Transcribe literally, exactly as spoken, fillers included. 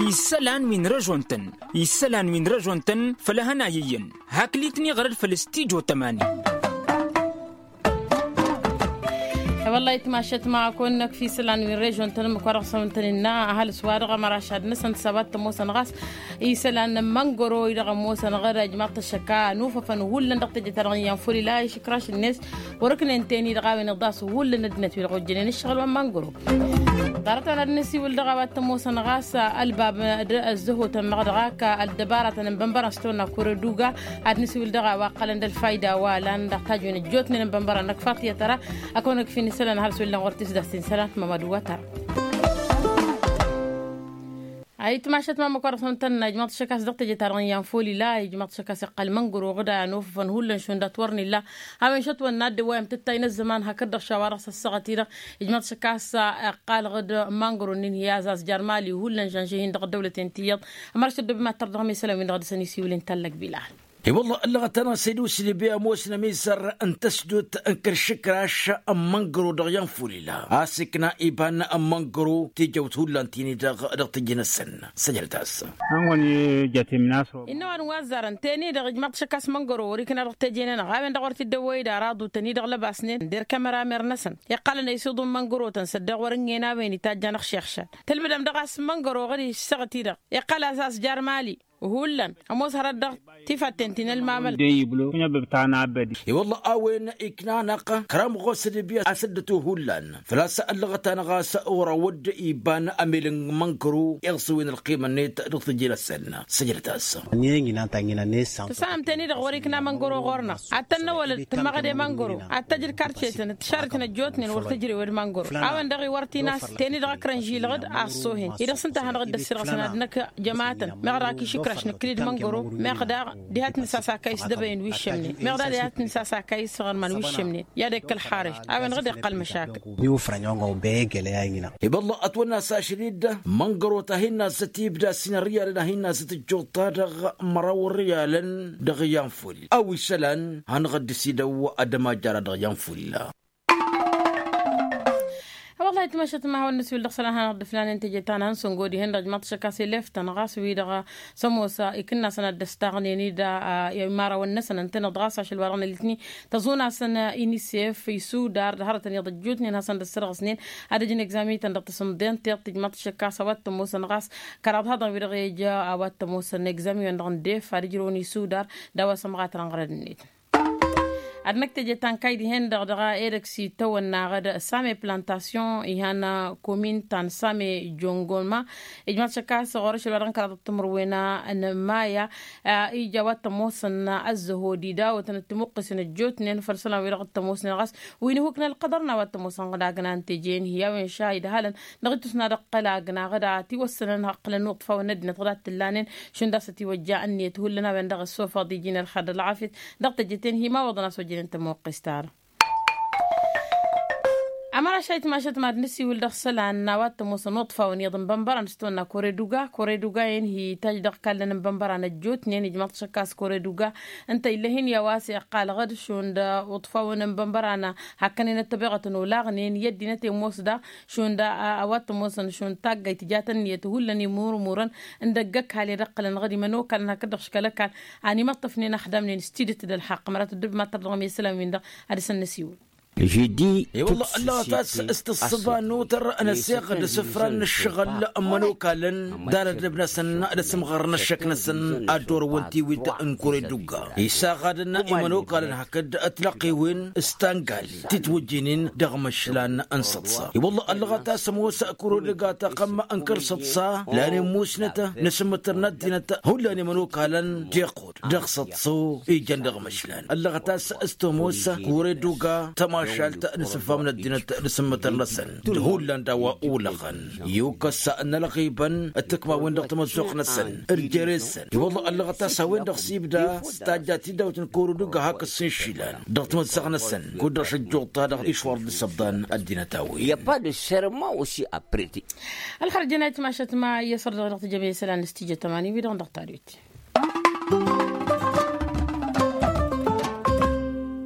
Isălan wi n-režon-tăn isălan wi n-režon-tăn făll-ehăn a iyyăn. Hakk litni ɣărăd făll-stijo tămani. Wăllah itmašăt ma kăwăn-năkf isălan wi n-režon-tăn ǝmmǝk wa dăɣ-săn tăn-innă ăhalǝs wa dăɣ-amăraš ad-năsăn s-a-wa t-ămoosăn ɣas isălan n-măngăro-i-dăɣ ămoosăn ɣăr ijmaḍ-t ăššăk a ănufăfăn hullan dăɣ-teje-ta-dăɣ n-iyyăn făll-ila išǝkraš-net. Wăr-ǝknen ten-i-dăɣ a-wen iḍas hullan ăddinăt wi-dăɣ ojjănen ǝššăɣǝl wa n-măngăro. Ḍarăt-an ad-nǝsiwǝl dăɣ-a-wa t-ămoosăn ɣas ălbab d-ăzzăhotăn-năɣ dăɣ-ak ăldăbaratăn n-bănbărăn s-tăwănna kure d-uga ad-nǝsiwǝl dăɣ-a-wa ǝqqălăn d-ălfayda wa lan dăɣ-tajwen ăjjootnen n-bănbărăn năkk faḍt i-ad-tăra. Ad-kăwăn-năkf inǝsălan ăhalǝs wi ǝllan ɣur-tisdast inǝsălan mămădu wa tăra. Ayǝtmašăt ma ǝmmǝk wa dăɣ-s ăntănna ijmaḍ-t šăk a-s dăɣ-teje-ta-dăɣ n-iyyăn folila ijmaḍ-t šăk a-s iqqăl măngrăw ɣǝd a ănofăfăn hullan šund a t-wăr n-illa. A-wen šătwănna dd-ăwwayăm tǝttay n-ăzzăman hakd-dăɣ šawa dăɣ-s ăssaɣăt-i-dăɣ ijmaḍ-t šăk a-s iqqal ɣǝd măngrăw-nin hi-azaz jarmali hullan žănžăh-in dăɣ-ăddăwlăten ti iyyăḍ. Ămăraš ăddoob i-mad-tărdăɣ mi isălan-win-dăɣ a dăɣ-săn isiwǝl inta ăllăgbila. I-wălla ăllăɣăt-anăɣ s-ed usǝlǝbe ămoosnăm izăr n-tăsdut n-kăl-išǝkraš n-măngrăw dăɣ-iyyăn folila a-s ikna iba n-măngrăw tijăwt hullan ti-ni-dăɣ dăɣ-tijǝnăsăn. Săjdăt-as. Innă ăwadǝm wa ăzzarăn ten-i-dăɣ ijmaḍ-t šăk a-s măngrăw wăr-ikna dăɣ-teje-nănăɣ a-wen-dăɣ wăr t-dd-ăwwăy d-ara aḍutăn-i-dăɣ lăbasnen der kămăramer-năsăn. Iqqălăn ăysuḍu n-măngrăw-tăn s-ăddeɣ wăr-ǝngen a-wen itajj anăɣ-šixšan tǝlbǝdăm dăɣ-a-s măngrăw ɣur-i ǝssăɣăt-i-dăɣ iqqăl-as a-s jarmali. Hullan ămoos hărăt dăɣ-tifatten ti n-ălmamăl. I-wălla a-wen ikna-năɣ kăramăɣos d-ibya asǝddătu hullan făl-a-s ăllăɣăt-anăɣ a-s ɣur-awădd iba n-amel n-mănkăru iɣsǝwen ălqima-net dăɣ-tǝjjǝn-asăn. Săjdăt-as. Tǝssanăm-ten-i-dăɣ wăr-ikna mănkăru ɣur-năɣ ad-tăn-năwălăd tǝmmăɣăd i-mănkăru ad-tăj d-karcetăn d-tišarrătăn ăjjootnen wăr tǝjrewăd mănkăru. A-wen-dăɣ iwăr t-in-as ten-i-dăɣ ăkrăn žilăɣ-dd a ăṣṣohen-i-dăɣ s-ǝnta a hanăɣ-dd-ăssirăɣ s-ănadnăk jămatăn meɣ daɣ a kǝšǝkraš nǝkkǝli d-măngăro. Meɣ daɣ diha t-nǝsas akay s-dăbăyăn wi ǝššămnen meɣ daɣ diha t-nǝsas akay s-iɣărman wi ǝššămnen. I-ad-ekkăl xareš a-wen-dăɣ dd-iqqăl măšakăl. Iwǝfrăn i-wănga ubey egele a-ina. Ibălla ătwănna s-ašăl-i-dd măngăro ta hin-nazzăt ibda s-inărriyalăn a hin-nazzăt ǝjjuḍ-ta-dăɣ măraw ărriyalăn. Dăɣ-iyyăn ful a-wa isălan hanăɣ-dd-sidăw ad-ămajjara dăɣ-iyyăn ful. Wăllah itmăšăt ma hawăn-nǝsiwǝl dăɣ-isălan hanăɣ-dd-ǝflanen teje ta n-ansăngo dihen-dăɣ ijmaḍ-t šăkk a-s elef-tăn ɣas wi-dăɣ s-ămoos ikǝnnasăn ad-dd-ăstaɣnen-dd imarawăn-năsăn ǝntăneḍ ɣas ašăl wa dăɣ-nălitni tăẓun-asăn inisef isudar d-hărătăn iyyăḍ ăjjootnen hasăn-dd-ăssărɣǝsnen ad-ǝjǝn egzami-tăn dăɣ-tasǝmḍent tiɣt ijmaḍ-t šăkk a-s a-wa t-ămoosăn ɣas kăraḍ haḍăn wi-dăɣ ija a-wa t-ămoosăn egzami-wen-dăɣ n-def ad-ǝjrăwăn isudar d-a-wa s-ămɣatăr n-ɣărăd-net. Ad-năkk teje ta n-kayy dihen-dăɣ dăɣ-edăgg s-itawănna ɣăd same plantasyon ihan komin ta n-same jongoma. Ijmaḍ-t šăkk a-s ɣur-ašăl wa dăɣ-n kăraḍăt timǝrwen n-maya ija a-wa t-ămoosăn ăzzăhod idawătăn d-timuqqǝsen ăjjootnen făll-isălan wi-dăɣ t-ămoosnen ɣas wi n-ihuk n-ălqăḍăr n-a-wa t-ămoosăn ɣǝd agna n-teje-in hi-a-wen šahid halăn dăɣ-ittǝsna dăɣ-kăla agna ɣǝd a ătiwăssănăn hăqqǝlăn iwǝṭṭfawăn n-ăddinăt ɣǝd a t-tǝllanen šund a-s ătiwăjja ǝnniyăt hullan a-wen-dăɣ ăssofăḍ iji n-ălxer d-ălɣafyăt. Dăɣ-teje-ten hi-imawăḍăn a-s ojjănen tămoqqest-ta-dăɣ. Ămăraš a itmašăt mad-nǝsiwǝl dăɣ-isălan n-a-wa t-ămoosăn iwǝṭṭfawăn iyyăḍ n-bănbărăn s-tawănna kore d-uga kore d-uga-en hi-itajj dăɣ-ikallăn n-bănbărăn ăjjootnen ijmaḍ-t šăkk a-s kore d-uga. Ǝnta ill'-e-hin i-a-wa s-iqqal ɣǝd šund iwǝṭṭfawăn n-bănbărăn hakkăn-en ăttăbeɣătăn olaɣnen i-ăddinăt i-ămoos daɣ šund a-wa t-ămoosăn šund taggayt tǝjat ǝnniyăt hullan imurmurăn. N-dăgg-ăkall i-ad-ǝqqǝlăn ɣǝd imănokalăn hakd-dăɣ škăl ăkall a n-imăṭṭăfnen ăxdamnen s-tidǝt d-ălxaqq mărat ăddub mad-tărdăɣăm i-isălan-win-dăɣ. Ad-dăɣ-săn-năsiwǝl. Ǝllăɣăt a-s s-tǝssǝba n-utăr n-ăseɣ d-asǝfran n-ǝššăɣǝl n-imănokalăn d-alădlăb-năsăn d-asǝmɣăr n-ăššăk-năsăn ad-dd-orăwăn tiwit n-kure d-ugga isaɣadăn imănokalăn hakd ătlăqqiwen s-tangali titwǝjjǝynen dăɣ-imăšlan n-săḍsa. I-wălla ăllăɣăt a-s ămoos kure d-ugga tăqqăm n-kăl-săḍsa lan immusnăt n-asǝmmǝtăr n-ăddinăt hullan imănokalăn d-iqqud dăɣ-săḍso ijăn dăɣ-imăšlan ăllăɣăt a-s s-tămoos kure d-uga tămašalt n-asǝffam n-ăddinăt d-asǝmmǝtăr-năsăn d-hullan d-a-wa ulăɣăn. Iwkăs n-ălɣibăn d-tikmawen dăɣ-tamăzzuɣt-năsăn d-jere-săn i-wălla ăllăɣăt a-s a-wen-dăɣ s-ibda s-tajja tidawt n-kăwăr-dd uga hakd s-inšilan dăɣ-tamăzzaɣt-năsăn kud-dăɣ šăjjuḍ-ta-dăɣ išwăr dd-isăbḍan ăddinăt a-wen. Ălxărjăn a itmašăt ma i-asăr-dăɣ dăɣ-tijămăy isălan s-tijăt ămani wi-dăɣ dăɣ-tadwit.